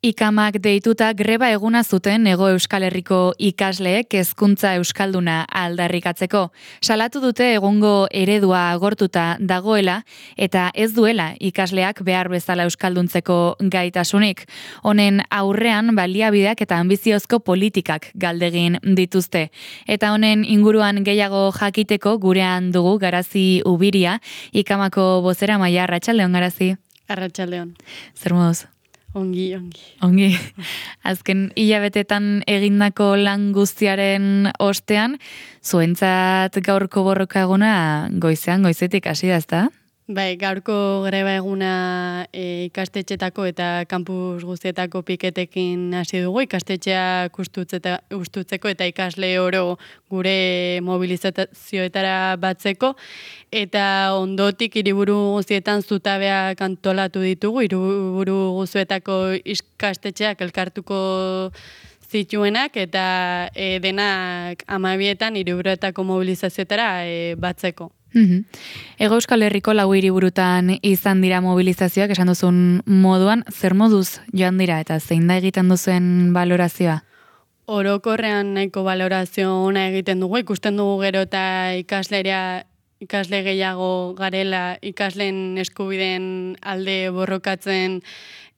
Ikamak deituta greba eguna zuten Hego Euskal Herriko ikasleek hezkuntza euskalduna aldarrikatzeko. Salatu dute egungo eredua agortuta dagoela eta ez duela ikasleak behar bezala euskalduntzeko gaitasunik. Honen aurrean baliabideak eta anbiziozko politikak galdegin dituzte. Eta honen inguruan gehiago jakiteko gurean dugu Garazi Ubiria, Ikamako bozeramailea. Arratsaldeon, Garazi. Arratsaldeon. Zer moduz? Ongi. Azken hilabetetan egindako lan guztiaren ostean, zuentzat gaurko borroka eguna goizetik hasi da, ezta? Bai, gaurko greba eguna ikastetxetako eta kampus guztietako piketekin hasi dugu, ikastetxeak ustutzeko eta ikasle oro gure mobilizazioetara batzeko, eta ondotik hiriburu guztietan zutabeak antolatu ditugu, hiriburu guztietako ikastetxeak elkartuko zituenak eta denak 12etan hiriburuetako mobilizazioetara batzeko. Hego Euskal Herriko 4 hiriburutan izan dira mobilizazioak, esan duzun moduan, zer moduz joan dira eta zein da egiten duzuen balorazioa? Orokorrean nahiko balorazio ona egiten dugu, ikusten dugu gero eta ikasle gehiago garela ikasleen eskubideen alde borrokatzen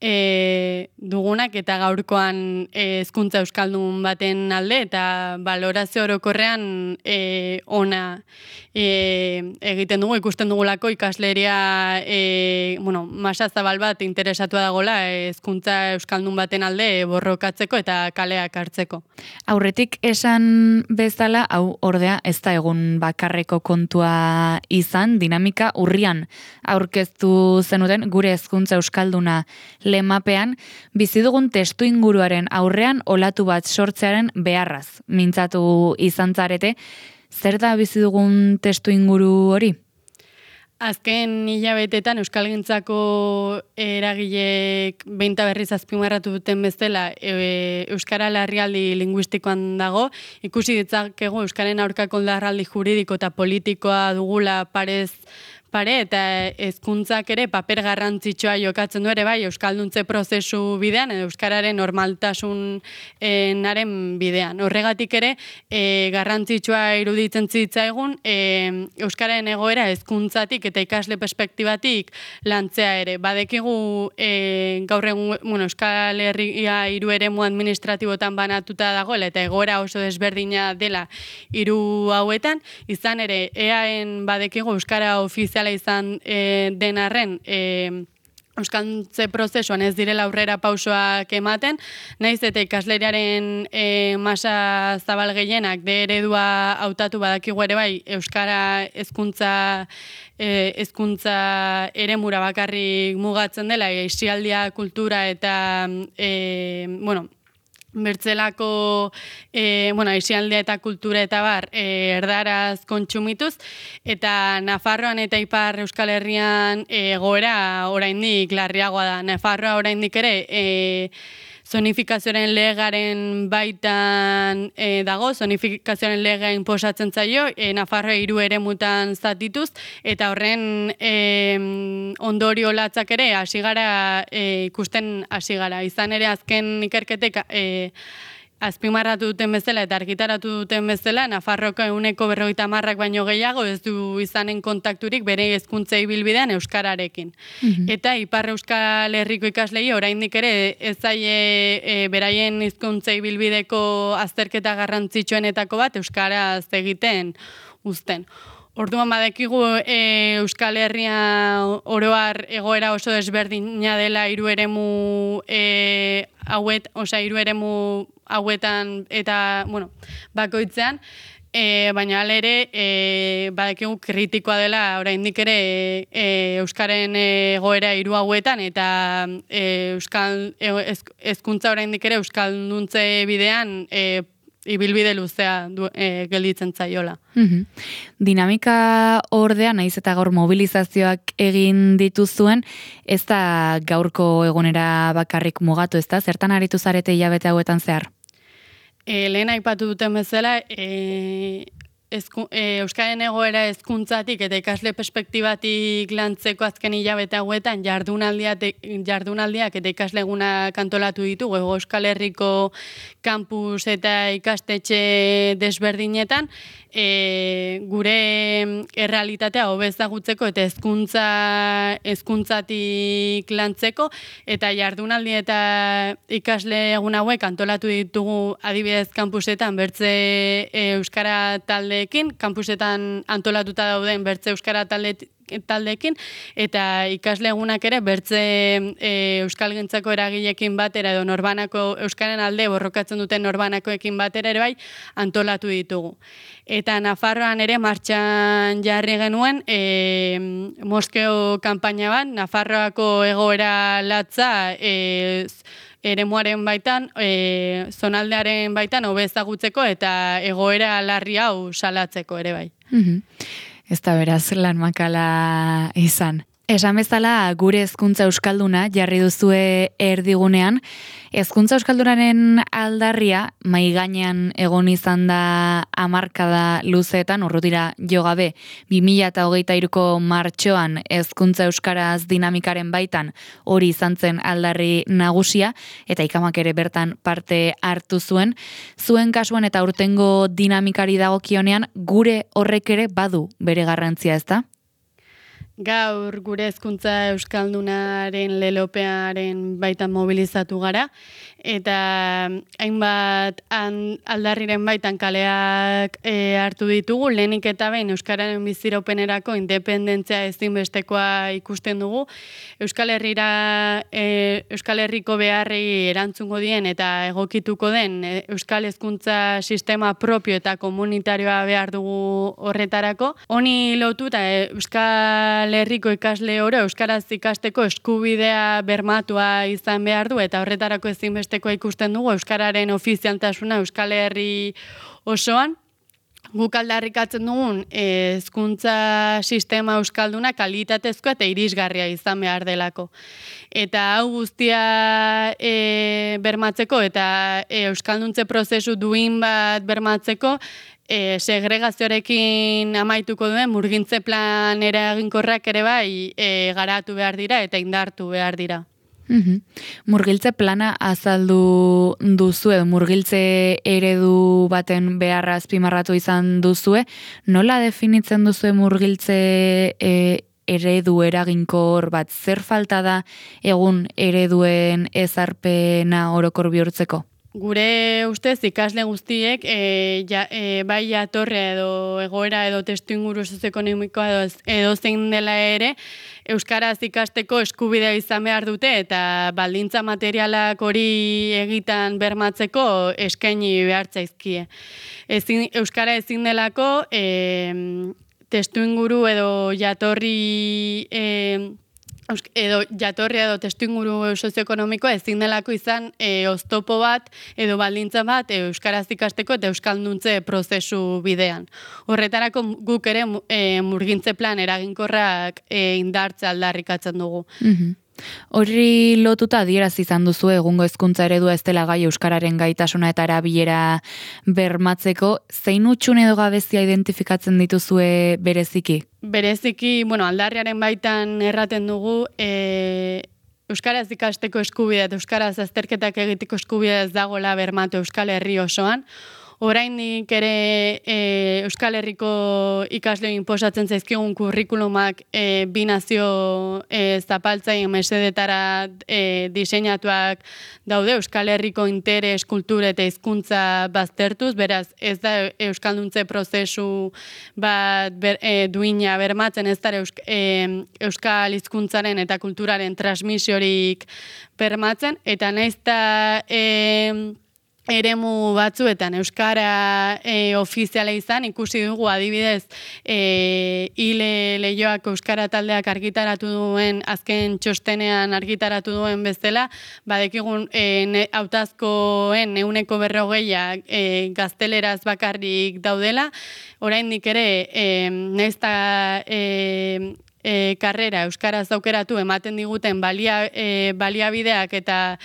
dugunak eta gaurkoan hezkuntza euskaldun baten alde eta balorazio orokorrean ona egiten dugu, ikusten dugulako ikasleria masa zabal bat interesatua dagoela hezkuntza euskaldun baten alde borrokatzeko eta kaleak hartzeko. Aurretik esan bezala, hau ordea ez da egun bakarreko kontua izan, dinamika urrian aurkeztu zenuten gure hezkuntza euskalduna lemapean, bizi dugun testu inguruaren aurrean olatu bat sortzearen beharraz mintzatu izan zarete. Zer da bizi dugun testu inguru hori? Azken hilabetetan euskalgintzako eragileek behin eta berriz azpimarratu duten bezala euskara larrialdi linguistikoan dago, ikusi ditzakegu euskaren aurkako larrialdi juridiko eta politikoa dugula parez pare eta hezkuntzak ere paper garrantzitsua jokatzen du ere bai euskalduntze prozesu bidean edo euskararen normaltasunaren bidean. Horregatik ere garrantzitsua iruditzen zitzaigun euskararen egoera hezkuntzatik eta ikasle perspektibatik lantzea ere. Badekigu gaur egun Euskal Herria 3 eremu administratibotan banatuta dagoela eta egoera oso desberdina dela 3 hauetan, izan ere EAen badekigu euskara ofiziala izan den arren euskaldutze prozesuan ez direla aurrera pausoak ematen, naiz eta ikasleriaren masa zabal gehienak de eredua hautatu badakigu ere bai euskara hezkuntza eremura bakarrik mugatzen dela, aisialdia, kultura eta bertzelako aisialdia eta kultura eta bar erdaraz kontsumituz, eta Nafarroan eta Ipar Euskal Herrian egoera oraindik larriagoa da. Nafarroa oraindik ere zonifikazioaren legaren baitan dago, zonifikazioaren legea inposatzen zaio, Nafarroa 3 eremutan zatituz, eta horren ondorio latzak ere ikusten hasi gara. Izan ere azken ikerketek azpimarratu duten bezala eta argitaratu duten bezala, Nafarroko 50% baino gehiago ez du izanen kontakturik bere hezkuntza ibilbidean euskararekin. Eta Ipar Euskal Herriko ikaslei oraindik ere ez zaie beraien hizkuntza ibilbideko azterketa garrantzitsuenetako bat euskaraz egiten uzten. Orduan badekigu Euskal Herria oroar egoera oso desberdina dela 3 eremu hauetan eta bakoitzean, baina hala ere badekigu kritikoa dela oraindik ere euskaren egoera 3 hauetan eta hezkuntza oraindik ere euskalduntze bidean ibilbide luzea gelditzen zaiola. Dinamika ordea, naiz eta gaur mobilizazioak egin dituzuen, ez da gaurko egunera bakarrik mugatu, ez da? Zertan aritu zarete hilabete hauetan zehar? Lehen aipatu duten bezala, Euskaren egoera hezkuntzatik eta ikasle perspektibatik lantzeko azken hilabete hauetan jardunaldiak eta ikasle egunak antolatu ditugu Euskal Herriko kampus eta ikastetxe desberdinetan, gure errealitatea hobe ezagutzeko eta hezkuntzatik lantzeko, eta jardunaldi eta ikasle egun hauek antolatu ditugu adibidez kampusetan bertze euskara taldeekin, kampusetan antolatuta dauden bertze euskara taldeekin, eta ikasle egunak ere bertze euskalgintzako eragileekin batera edo norbanako euskaren alde borrokatzen duten norbanakoekin batera ere bai antolatu ditugu. Eta Nafarroan ere martxan jarri genuen Moskeo kanpaina bat, Nafarroako egoera latza eremuaren baitan, zonaldearen baitan hobe ezagutzeko eta egoera larri hau salatzeko ere bai. Ez da beraz lan makala izan. Esan bezala gure hezkuntza euskalduna jarri duzue erdigunean, hezkuntza euskaldunaren aldarria mai gainean egon izan da hamarkada luzeetan, urrutira jo gabe 2023ko martxoan hezkuntza euskaraz dinamikaren baitan hori izan zen aldarri nagusia, eta ikamak ere bertan parte hartu zuen. Zuen kasuan eta urtengo dinamikari dagokionean gure horrek ere badu bere garrantzia, ezta? Gaur gure hezkuntza euskaldunaren lelopearen baitan mobilizatu gara, eta hainbat aldarriren baitan kaleak hartu ditugu, lehenik eta behin euskararen biziropenerako independentzia ezinbestekoa ikusten dugu, Euskal Herriko beharrei erantzungo dien eta egokituko den euskal hezkuntza sistema propio eta komunitarioa behar dugu horretarako. Honi lotuta Euskal Herriko ikasle oro euskaraz ikasteko eskubidea bermatua izan behar du, eta horretarako ezinbestekoa ikusten dugu euskararen ofizialtasuna Euskal Herri osoan. Guk aldarrikatzen dugun hezkuntza sistema euskalduna kalitatezkoa eta irisgarria izan behar delako. Eta hau guztia bermatzeko eta euskalduntze prozesu duin bat bermatzeko, segregazioarekin amaituko duen murgintze plan eraginkorrak ere bai garatu behar dira eta indartu behar dira. Murgiltze plana azaldu duzue, murgiltze eredu baten beharra azpimarratu izan duzue, nola definitzen duzue murgiltze eredu eraginkor bat? Zer falta da egun ereduen ezarpena orokor bihurtzeko? Gure ustez ikasle guztiek bai jatorria edo egoera edo testuinguru sozioekonomikoa edo zein dela ere euskaraz ikasteko eskubidea izan behar dute, eta baldintza materialak hori egitan bermatzeko eskaini behar zaizkie. Euskara ezin delako testuinguru edo jatorria edo testuinguru sozioekonomikoa ezin delako izan oztopo bat edo baldintza bat euskaraz ikasteko eta euskalduntze prozesu bidean. Horretarako guk ere murgintze plan eraginkorrak indartze aldarrikatzen dugu. Horri lotuta adierazi izan duzu egungo hezkuntza eredua ez dela gai euskararen gaitasuna eta erabilera bermatzeko, zein hutsune edo gabezia identifikatzen dituzue bereziki? Bereziki, aldarriaren baitan erraten dugu, euskaraz ikasteko eskubidea eta euskaraz azterketak egiteko eskubidea ez dagoela bermatu Euskal Herri osoan. Oraindik ere Euskal Herriko ikasleei inposatzen zaizkigun kurrikulumak bi nazio zapaltzaile mesedetara diseinatuak daude Euskal Herriko interes, kultura eta hizkuntza baztertuz, beraz ez da euskalduntze prozesu bat duina bermatzen, ez da euskal hizkuntzaren eta kulturaren transmisiorik bermatzen, eta nahiz eta eremu batzuetan euskara ofiziala izan, ikusi dugu adibidez Ile Leioako euskara taldeak argitaratu duen, azken txostenean argitaratu duen bezala, badekigun hautazkoen 40% gazteleraz bakarrik daudela, oraindik ere nahiz eta karrera euskaraz aukeratu ematen diguten baliabideak eta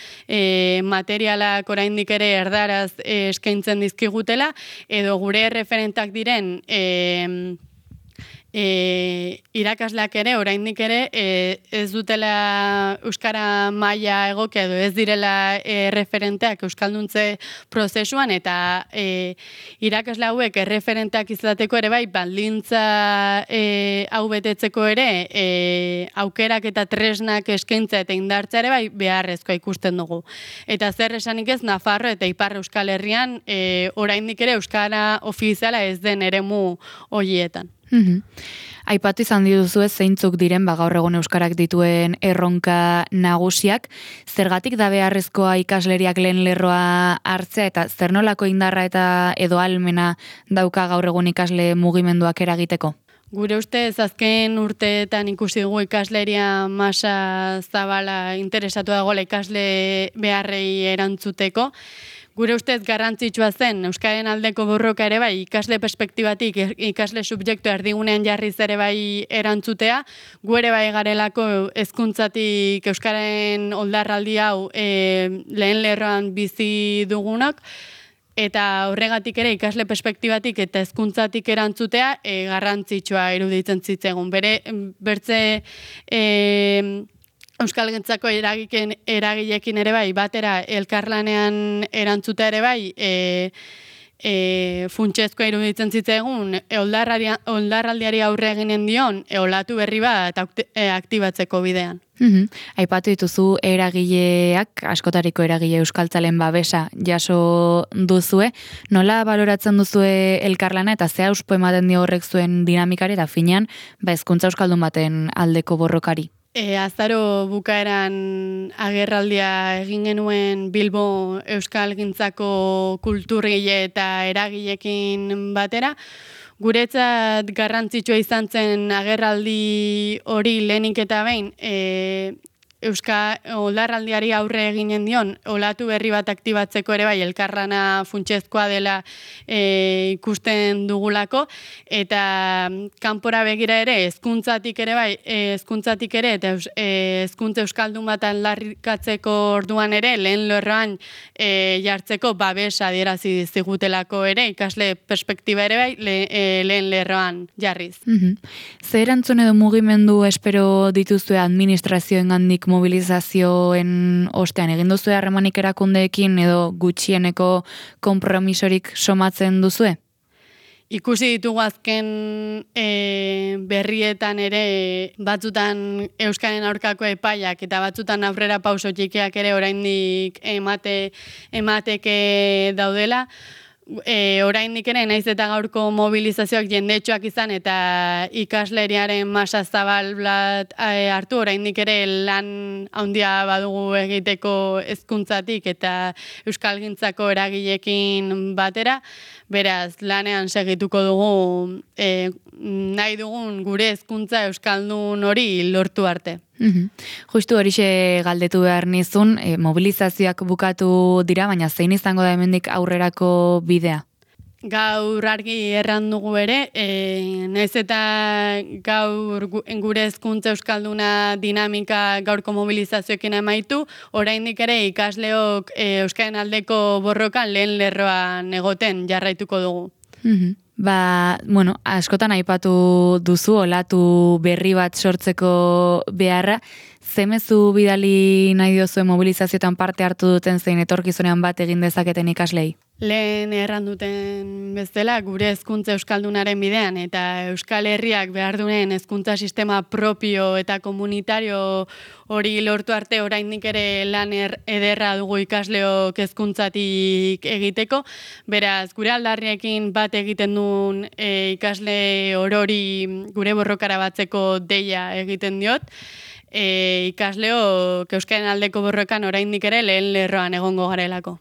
materialak oraindik ere erdaraz eskaintzen dizkigutela, edo gure referentak diren irakasleak ere, oraindik ere, ez dutela euskara maila egokia edo ez direla referenteak euskalduntze prozesuan, eta irakasle hauek referenteak izateko ere bai, baldintza hau betetzeko ere, aukerak eta tresnak eskaintza eta indartza ere bai beharrezkoa ikusten dugu. Eta zer esanik ez, Nafarro eta Ipar Euskal Herrian oraindik ere euskara ofiziala ez den eremu horietan. Aipatu izan dituzu zeintzuk diren gaur egun euskarak dituen erronka nagusiak, zergatik da beharrezkoa ikasleriak lehen lerroa hartzea eta zer nolako indarra eta edo ahalmena dauka gaur egun ikasle mugimenduak eragiteko? Gure ustez azken urteetan ikusi dugu ikasleria masa zabala interesatu dagoela ikasle beharrei erantzuteko. Gure ustez garrantzitsua zen euskaren aldeko borroka ere bai, ikasle perspektibatik, ikasle subjektu erdigunean jarriz ere bai erantzutea, gu ere bai garelako hezkuntzatik euskaren oldarraldi hau lehen lerroan bizi dugunak, eta horregatik ere ikasle perspektibatik eta hezkuntzatik erantzutea garrantzitsua iruditzen zitzaigun. Bertze euskalgintzako eragilekin ere bai, batera elkarlanean erantzutea ere bai, funtsezkoa iruditzen zitzaigun, oldarraldiari aurre eginen dion, olatu berri bat aktibatzeko bidean. Aipatu dituzu eragileak, askotariko eragile euskaltzalen babesa jaso duzue, nola baloratzen duzue elkarlana eta ze auspo ematen dio horrek zuen dinamikari eta finean, hezkuntza euskaldun baten aldeko borrokari? Azaro bukaeran agerraldia egin genuen Bilbo Euskalgintzako kulturgile eta eragilekin batera. Guretzat garrantzitsua izan zen agerraldi hori lehenik eta behin, oldarraldiari aurre eginen dion, olatu berri bat aktibatzeko ere bai, elkarlana funtsezkoa dela ikusten dugulako, eta kanpora begira ere, hezkuntzatik ere bai, hezkuntzatik ere, eta hezkuntza euskaldun bat aldarrikatzeko orduan ere, lehen lerroan jartzeko babesa adierazi zigutelako ere, ikasle perspektiba ere bai, lehen lerroan jarriz. Zer erantzun edo mugimendu espero dituzue administrazioengandik mobilizazioen ostean egin duzue harremanik erakundeekin edo gutxieneko konpromisorik somatzen duzue? Ikusi ditugu azken berrietan ere batzutan euskaren aurkako epaiak eta batzutan aurrera pauso txikiak ere oraindik emateke daudela. Oraindik ere naiz eta gaurko mobilizazioak jendetsuak izan eta ikasleriaren masa zabal bat hartu, oraindik ere lan handia badugu egiteko hezkuntzatik eta euskalgintzako eragileekin batera, beraz lanean segituko dugu nahi dugun gure hezkuntza euskaldun hori lortu arte. Justu horixe galdetu behar nizun, mobilizazioak bukatu dira, baina zein izango da hemendik aurrerako bidea? Gaur argi erran dugu ere, naiz eta gaur gure hezkuntza euskalduna dinamika gaurko mobilizazioekin amaitu, oraindik ere ikasleok euskaren aldeko borrokan lehen lerroan egoten jarraituko dugu. Askotan aipatu duzu olatu berri bat sortzeko beharra, zemezu bidali nahi diozue mobilizazioetan parte hartu duten zein etorkizunean bat egin dezaketen ikaslei? Lehen erran duten bezala, gure hezkuntza euskaldunaren bidean eta Euskal Herriak behar duen hezkuntza sistema propio eta komunitario hori lortu arte oraindik ere lan ederra dugu ikasleok hezkuntzatik egiteko. Beraz, gure aldarriekin bat egiten duen ikasle orori gure borrokara batzeko deia egiten diot. Ikasleok euskaren aldeko borrokan oraindik ere lehen lerroan egongo garelako.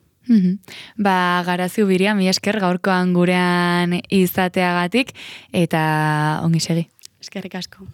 Garazi Ubiria, mi esker gaurkoan gurean izateagatik eta ongi segi. Eskerrik asko.